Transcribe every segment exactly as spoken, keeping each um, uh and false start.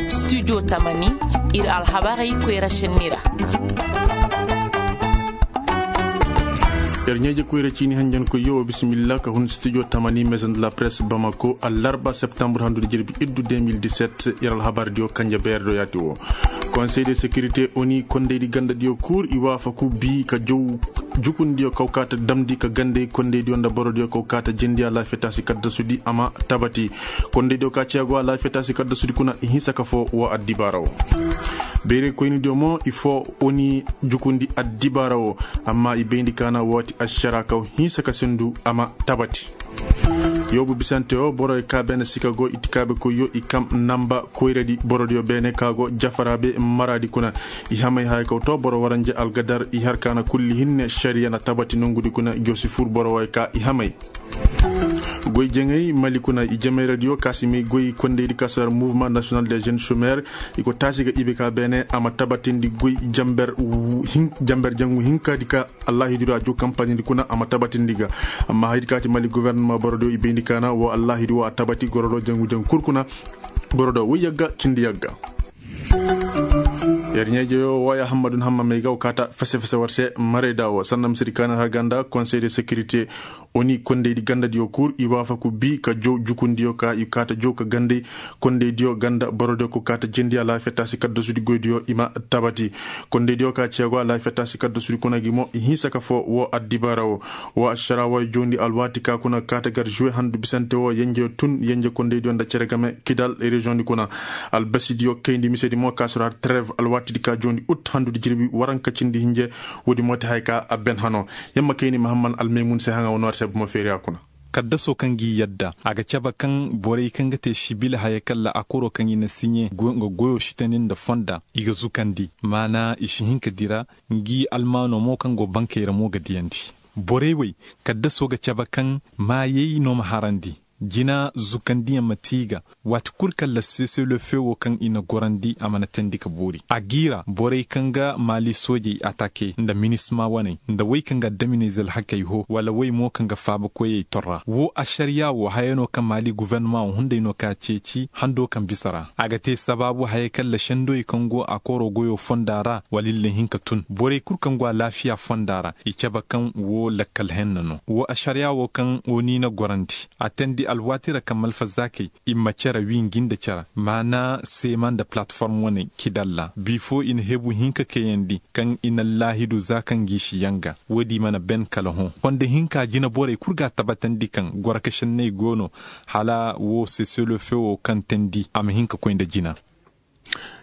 Studio tamani, ir alhabarey koyra senni ra. Yer ɲeeje koyra ciini hanjankoyyo wa bisimilla ka hun studio tamani maison de la presse bamako allarba septembre handu da jirbi iddu deux mille dix-sept. Yer alhabardiyo kanje beerdo yaati wo. Conseil de sécurité oni kondaydi gandadiyo kuur i waafaku bii ka jow jukundiyo kaw kaata damndi ka gandey kondaydiyo nda borodiyo kaw kaata jindiya laafiya taasi kaddasudi a ma tabati. Kondaydiyo ka ciya go a laafiya taasi kaddasudi kuna i hinsa ka foo woo addibaara woo. Beerey koynidiyo mo i foo oni jukundi addibaara woo. Amma i bayndi kaana wooti ašaraa kaw hinsa ka sindu a ma tabati. Yoobu bisante woo borey ka beene sika go itikaabekoyyo i kam namba koyradi borodiyo beene ka go jafaraabe maraadi kuna. I hamay haya kaw too boro waranja algadar i har kaana kulli hinne šariya na tabati nongudi kuna josi fur boro way ka i hamay. Goy jaŋay mali kuna i jamayradiyo ka si may goy kondaydi ka si har mouvement national des jeunes chômeurs. I go taasi ga ibe ka beene a ma tabatindi goy jamber jangu hinkaadi ka allahidiro a juu kampaɲindi kuna a ma tabatindi ga. Amma haydi kaati mali gofornoma borodiyo i bayndi kaana woo allahidi woo a tabati gorodo jangu jangu kul kuna. Borodo woy yagga cindi yagga. Yer ɲeejeyo waya hammadun hamma may ga wa kaata fese fese war se marayda woo sanda misedi kaana har ganda conseil de sécurité. Oni kondaydi gandadiyo kul i waafaku bii ka jow jukundiyo ka i kaata jow ka gandey kondaydiyo ganda borodiyo ko kaata jindiya laafiya taasi kaddasudi goydiyo i ma tabati. Kondaydiyo ka ceego a laafiya taasi kaddasudi kuna gi mo i hinsa ka foo woo addibaara woo. Woo ašaraa woo joondi alwaati ka kuna kaata gar žuwe handu bisante woo yenjeyo tun yenje kondaydiyo nda cere game kidal reziyoŋdi kuna. Albasidiyo kayndi misedi mo ka si har treve alwaatidi ka joondi ut handudi jirbi waranka cindi hinje. Woodi mo ti haya ka a ben hanoo. Yamma kayni mahamman almaymun se haŋa woo noor se bomo feeriya kuna. Kaddasoo kaŋ g'i yadda a ga cabe kaŋ borey kaŋ ga te sibil haya kalla akoroo kaŋ i na siɲe nga goyoo sitandi nda fonda i ga zukandi maana i si hin ka dira. Ngi almaanoo mo kaŋ go bankey ra mo ga diyandi. Borey wey kaddasoo ga cabe kaŋ maayey no ma harandi. Jina zukandiyaŋ ma te i ga waati kul kaŋ la seselofewo kaŋ i na gorandi a mana teendi ka boori a g'i ra borey kaŋ ga maali soojey atake nda minisma waney nda wey kaŋ ga addaminayze alhakey hoo wala wey mo kaŋ ga faabakoyey torra woo ašariyaa woo haya no kaŋ maali gofornoma wo hunday no ka ceeci hando kaŋ bisa ra a ga te sabaabu haya kaŋ la sendowey kaŋ go a kooro goyoo fonda ra wala illa hin ka tun borey kul kaŋ go alaafiyaa fonda ra i cabe kaŋ woo lakkal henna no woo ašariyaa woo kaŋ oni na gorandi a teendi alwaati ra kaŋ malfazaakey i ma cere wii ngi nda cere maana seema nda palatform wane kidalla bi foo i na hebu hinka kayandi kaŋ i na allaahidu za kaŋ ngi si yanga woodi mana ben kala hõ konda hinka jineborey kul ga a tabatandi kaŋ gorokasenney go no hala woo seselo fewo kaŋ teendi a ma hin ka koy nda jina.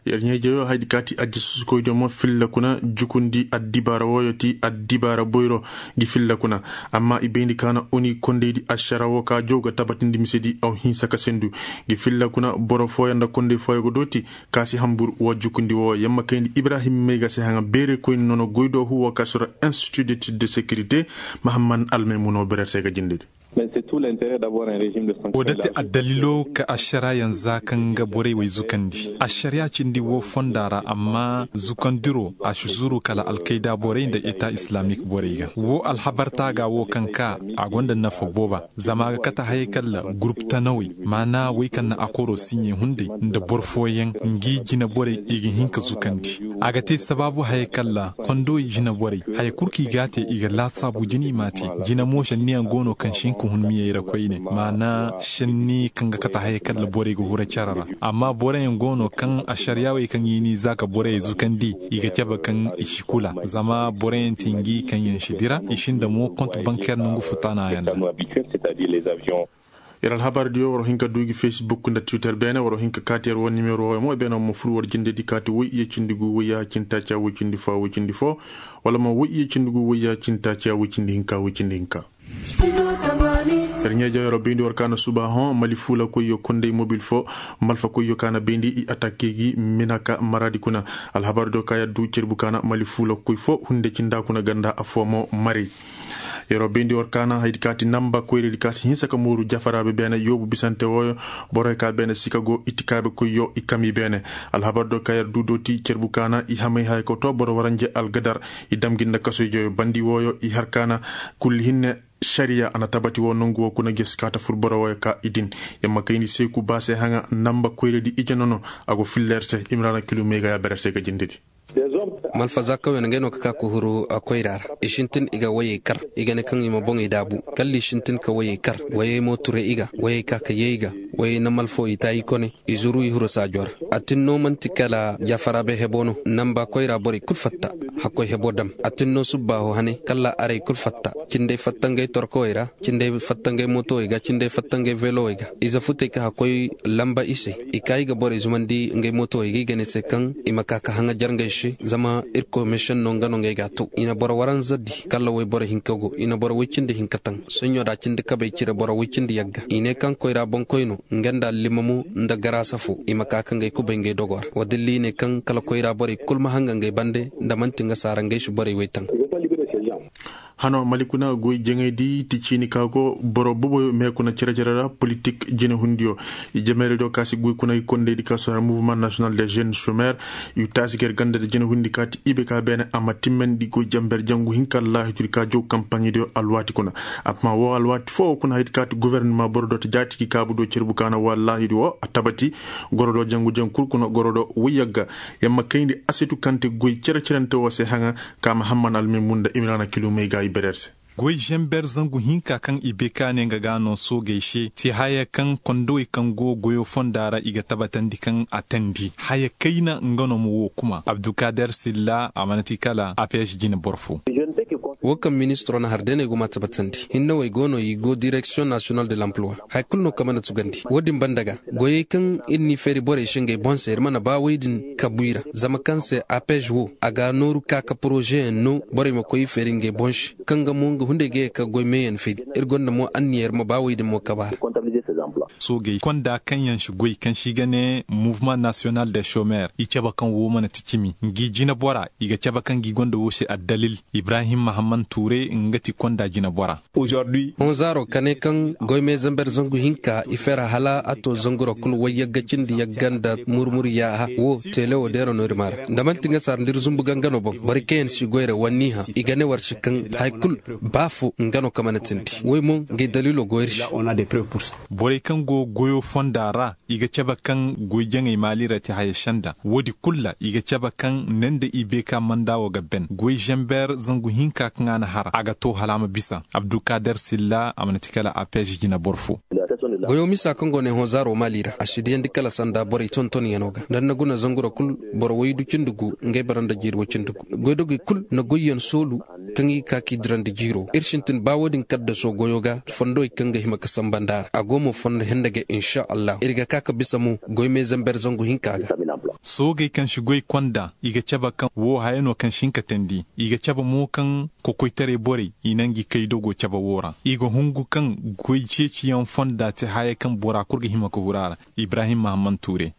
Yer ɲeejeyo haydi ka ti ajjasusukoydiyo mo filla kuna jukundi addibaara wooyo ti addibaara boyro ngi filla kuna. Amma i bayndi ka na oni kondaydi ašara woo ka jow ga tabatindi misedi aw hinsa ka sendu ngi filla kuna boro fooyo nda konday fooyo ga dooti ka si hanbur woo jukundi woo yamma kayndi ibrahim may ga se haŋa beerekoyni nono goydoohu woo ka sura institut de sécurité. Mahamman almaymuno berer se ga jindedi. Woo dati addaliloo ka ašaraayaŋ za kaŋ ga borey wey zukandi ašariyaa cindi woo fonda ra amma zukandiroo a si zuru kala alkayda borey nda eta islamik borey ga woo alhabartaa ga woo kaŋ kaa a go nda nafa booba zama a ga kate hayey kaŋ la gurup tanawey maana wey kaŋ na akoroo siɲey hunday nda boro fooyaŋ ngi jineborey i ga hin ka zukandi. A ga te sabaabu hayey kaŋ ra kondowey jineborey haya kul kaŋ i g'a te i ga laasaabu jina i m'a te. Jina mo šenniyaŋ go no kaŋ si hin ka hun miyey ra koyne maana šenni kaŋ ga kate hayey kaŋ ra borey ga hura cere ra. Amma boroyaŋ go no kaŋ ašariyaawey kaŋ i n'i za ka borey zukandi i ga cabe kaŋ i si kula zama boroyaŋ ti ngi kaŋyaŋ si dira i sinda mo kont bankeer nangu futanayaŋ ra. Yer alhabar diyo war hin ka du gi facebook nda twitter beene war hin ka kaati yer wo nimero wo mo beene mo fur war jinde di kaati woy iye cindi gu woy ya cindi taaciya woy cindi fo woy cindi fo wala mo woy iye cindi gu woy ya cindi taaciya woy cindi hinka woy cindi hinka. Yer ɲeeja yer wo bayndi war ka na suba hõ mali fuula koy yo konday mobil fo malfa koy yo ka na bayndi i attaque gi minaka maraadi kuna. Alhabar diyo ka yer du cerbu ka na mali fuula koy fo hunde cinda kuna ganda affoo mo maray. Yeroo bayndi war kaana haydi ka ti namba koyradi ka si hinsa ka mooru jafaraabe beene yoobu bisante wooyo. Borey ka beene sika go itikaabe koyyo i kami beene. Alhabar do ka yer du dooti cerbu kaana i hamay haya ka too boro waranje algadar. I damgi nda kasoy joyo bandi wooyo i har kaana kulli hinne. Sariya a na tabati wo nongu wo kuna gesi kaata fur boro wo ka i din. Yamma kayndi seeku ba se haŋa namba koyradi ije nono. A go filla yer se imrana kilu may ga ya ber yer se ga jindedi. Malfa za kawyan ngey no ka ka kuhuru a koyra ra. I sintin i ga wayey kar. I ga ne kaŋ i ma boŋey daabu. Kalla i sintin ka wayey kar. Wayey mo ture i ga. Wayey ka ka yee i ga. Wayey na malfo i taayi kone. I zuru i huru saajo ra. A tin no man'ti kala jaafaraabe hebo no namba koyra borey kul fatta. Hakkoy hebo dam a tin no subbaaho hane kalla arey kul fatta. Cindey fatta ngey torkowey ra. Cindey fatta ngey mootowey ga cindey fatta ngey veelowey ga. Ize futey ka hakkoy lamba i se. I ka i ga borey zumandi ngey mootowey ga i ga ne se kaŋ i ma ka ka haŋajar ngey se. Zama irkoy meesenno nga no ngey ga a to i na boro waranza di kalla woy boro hinka go i na boro woy cindi hinka taŋ. Soɲɲo da cindi kabey cire boro woy cindi yagga i ne kaŋ koyra boŋkoy no. Nga nda allimamo nda garaasa fo i ma ka ka ngey kubay ngey dogo ra wa dilli i ne kaŋ kala koyra borey kul ma haŋga ngey bande. Nda man'ti nga saara ngey si borey woy taŋ. Hano mali kuna goy jaŋaydi ti ciini ka go boro boboyo me kuna cere-cere ra politik jinehundiyo. I jameerediyo ka si goy kuna i kondeydi ka sohar mouvement national de jeune chômeur. I taasi ga yer ganda da jinehundi ka ti ibe ka beene a ma timmandi goy jamber jangu hinka laahidudi ka jow kampaɲediyo alwaati kuna. Amma wo alwaati foo kuna haydi ka ti gofornima boro do ta jaati ki kaabu do cerbu ka na wo allaahidi wo a tabati. Goro do jangu-jangu kul kuna goro do woy yagga. Yamma kayndi asitu kaŋ te goy cere-cerante wo se haŋa. Ka mahamman almimun nda imrana kilumey ga i berer se. Goy zember zangu hinka kaŋ i beka ne nga ga no soogey se ti haya kaŋ kondowey kaŋ go goyo fonda ra i ga tabatandi kaŋ a tandi haya kayna nga no ma wo kuma abdukader silla a mana ti kala a p s jine boro fo. Wo kaŋ ministiro na har day no ay go ma tabatandi hinnawey go no i go direksiyoŋ nasiyonal de lampluwa. Haya kulu no kaŋ mana tugandi wo- din banda ga goyey kaŋ ir n'i feeri borey se ngey boŋ se ir mana ba wey din kabu i ra zama kaŋ se a p s wo a ga nooru ka ka porozeyaŋ no borey ma koy i feeri ngey boŋ se. Kaŋ ga mo nga hunday ga ye ka goy meeyaŋ feeri ir gonda mo anniya ir ma ba wey din mo kabu a ra. Soogey konda kaŋ yaŋ si goy kaŋ si ga ne mouvement nasiyonal de chômeur i cabe kaŋ wo mana ti cimi ngi jinebora i ga cabe kaŋ ngi gonda wo se addalil. Ibrahim mahamman tuure nga ti konda jinebora. Honzaaro ka ne kaŋ goymey zamber zangu hinka i fera hala a to zanguro kulu wayyagga cindi yagga nda murmur yaaha wo teele wo deero no ir maara nda man'ti nga sar nda ir zumbu gangano boŋ boro kaŋ yaŋ si goyra wanniha i ga ne war si kaŋ haya kulu ba fo nga no ka mana tindi woy mo ngey daliilo go ir se. Borey kaŋ go goyo fonda ra i ga cabe kaŋ goy jaŋey maali ra te haya senda woodi kulu ra i ga cabe kaŋ ne nda i beeka manda wo ga ben goy zamber zangu hinka kaŋ a na har a ga to hala a ma bisa abdukader silla a mana ti kala a p s jine boro fo. Goyo misa kaŋ go ne honzaaro maali ra a si diyandi kala sanda borey tontonyaŋo ga nda ni na guna zanguro kulu boro waydu cindi gu ngey bara nda jiiri way cindi gu goydogey kulu na goyyaŋ soolu. Kaŋ i ga ka k'i dirandi jiiro ir sintin ba wo-din kaddaso goyo ga fondowey kaŋ ga hima ka samba nda a ra a go mo fondo hende ga inša allahu ir ga ka ka bisa mo goymey zamber zangu hinka ga. Soogey kaŋ si goy konda i ga cabe kaŋ wo haya no kaŋ si hin ka teendi i ga cabe mo kaŋ kokoytaray borey i na ngi kay dogo cabe wo ra i ga hungu kaŋ goy ceeciyaŋ fonda te haya kaŋ bora kul ga hima ka huru a ra. Ibrahim mahamman tuure.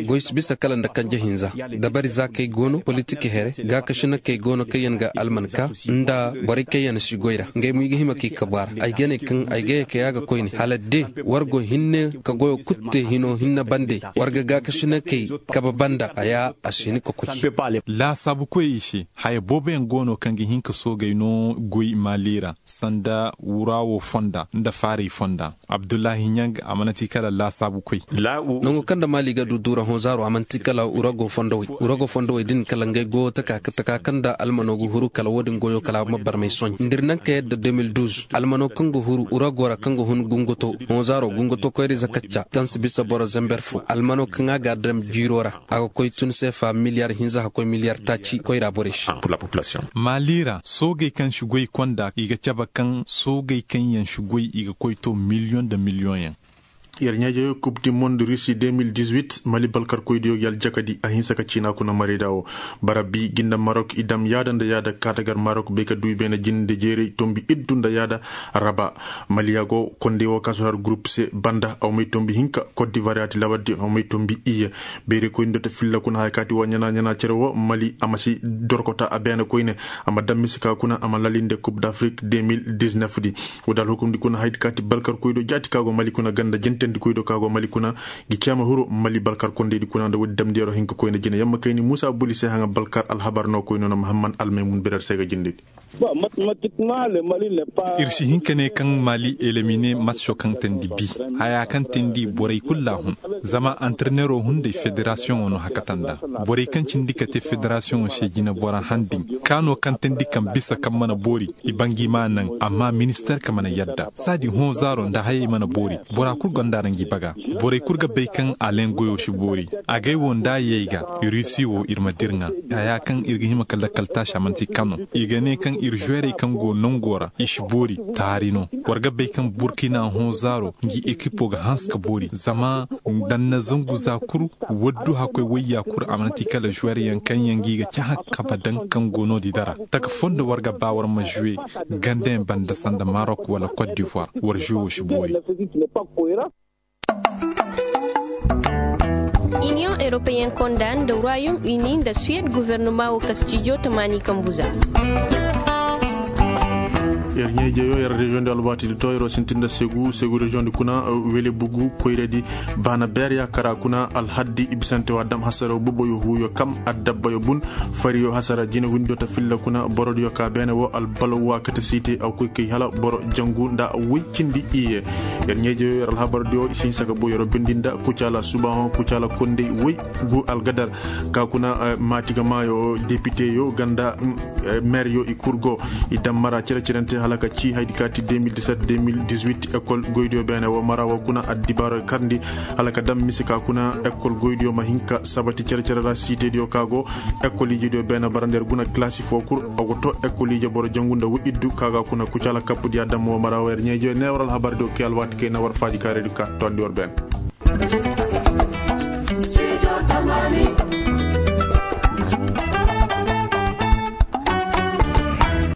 Goy si bisa kala nda kanje hinza dabari za kay go no politik here gaakasinakey go no kaŋ yaŋ ga almanka nda borey kaŋ yaŋ si goy ra ngey mo i ga hima k'i kabu a ra ay ga ne kaŋ ay ga ye kay a ga koyne hala de war go hinne ka goyo kulu te hino hinne bande war ga gaakasinakey kabe banda haya a si hin ka koy. Laasaabukoyey se haya booboyaŋ go no kaŋ ga hin ka soogey no goy maali ra sanda wura wo fonda nda faaray fonda. Abdullahi ɲang a mana ti kala laasaabu koy. Nango kaŋ nda maali ga du duura honzaaro a mana ti kala urago fondowey urago fondowey din kala ngey goyo taka ka taka kaŋ nda almano ga huru kala wo-din goyo kala a ma barmay soɲ nda ir naŋ ka yadda deux mille douze almano kaŋ ga huru urago ra kaŋ ga hun gunguto honzaaro gunguto koyra ize kacca kaŋ si bisa boro zember fo almano kaŋ a ga a daŋ jiiro ra. A ga koy tun seefa miliyar hinza hakkoy miliyar taaci koyra borey se. Maali ra soogey kaŋ si goy konda i ga cabe kaŋ soogey kaŋ yaŋ si goy i ga koy to miliyoŋ nda miliyoŋyaŋ. Yer ɲaaje kub di monde rusi deux mille dix-huit mali balkarkoydiyo gi aljakadi a hinsa ka ciina kuna marayda wo. Bara bi gi nda marok i dam yaada nda yaada kaatagar marok bay ka du i beene jinde jeeray tombi iddu nda yaada. Raba mali ya go konde wo ka sohar gurup se banda a wa may tombi hinka kot divar yaati labardi a wa may tombi iyye. Beerikoyni do ta filla kuna haya kaati wa ɲana ɲana cere wo mali a ma si dorkota a beene koyne. A ma daŋ mise ka kuna a ma lalinde kub d'afrik deux mille dix-neuf di. Wo da alhukumdi kuna haydi kaati balkarkoy do jaati ka go mali kuna ganda jentendikoy do ka go mali kuna. Gi ceema huru mali balkar kondeydi kuna nda woodi damndi yero hinka koyne jine yamma kayni muusa buli se haŋa balkar alhabar no koyno no mahamman almaymun birar se ga jindedi. Ir si hin ka ne kaŋ mali elimine matso kaŋ teendi bi, haya kaŋ teendi borey kulu a hun. Zama antarneeroo hunday federasiyoŋoo no hakata nda borey kaŋ cindi ka te federasiyoŋoo se jinebora han din, ka no kaŋ teendi kaŋ bisa kaŋ mana boori. I ba ngi ma naŋ, amma ministarka mana yadda saadi hõ zaaro nda hayey mana boori. Bora kul gonda ra ngi baga. Borey kul ga bay kaŋ alen goyoo si boori. Agay wo nda yey ga, rusi wo ir ma dir ŋa. Haya kaŋ ir ga hima ka lakkal taasi a manti kano. I ga ne kaŋ ir žuwerey kaŋ go nangoo ra i si boori. Taari no. War ga bay kaŋ burkina hõ zaaro ngi ekipoo ga hanse ka boori zama danna zangu za kul. Waddu hakkoy wayya kul a mana ti kala žuweryaŋ kaŋ yaŋ gi ga cahã kaba daŋ kaŋ go no-di dara. Taka fondo war ga ba war ma žuwe gandeyaŋ banda sanda marok wala kot divoir. War žuwe wo si boori. Iniyoŋ europeyen konda nda royaume uni nda suwed guvernoma wo kastijo tamaani kambu za. Yer ɲeejeyo yer reziyoŋ di alwaati di to yeroo sintin nda segu segu reziyoŋ di kuna wele bugu koyra di. Baana beer yaakara kuna alhaddi i bisante wa dam hasaraw boboyo huuyo kam addabbayo bun. Fariyo hasara jinawindiyo ta filla kuna borodiyo ka beene wo albalaw wa kate siite a koy kay hala boro jangu nda woy cindi iye. Yer ɲeejeyo yer alhabardiyo i si hinsa ka boy yeroo bindi nda kucaala subaahoŋ kucaala kondey woy gu algadar. Ka kuna maati ga maayo depiteyo ganda meeryo i kul go. I dam mara cere-cerente hala ka ci haydi ka ti deux mille dix-sept deux mille dix-huit ekol goydiyo beene wo mara wo kuna addibaaro karndi hala ka dam mise ka kuna ekol goydiyo ma hin ka sabati cere-cere ra siitediyo ka go. Ekol ijidiyo beene bara nda yer guna kalaasi foo kul a go to ekol ije boro jangu nda wo iddu ka ga kuna kucaala kappudiya dam wo mara wo yer ɲeejiyo ne war alhabardiyo kay alwaati kay na war faaji kaaredi ka tondi war beene.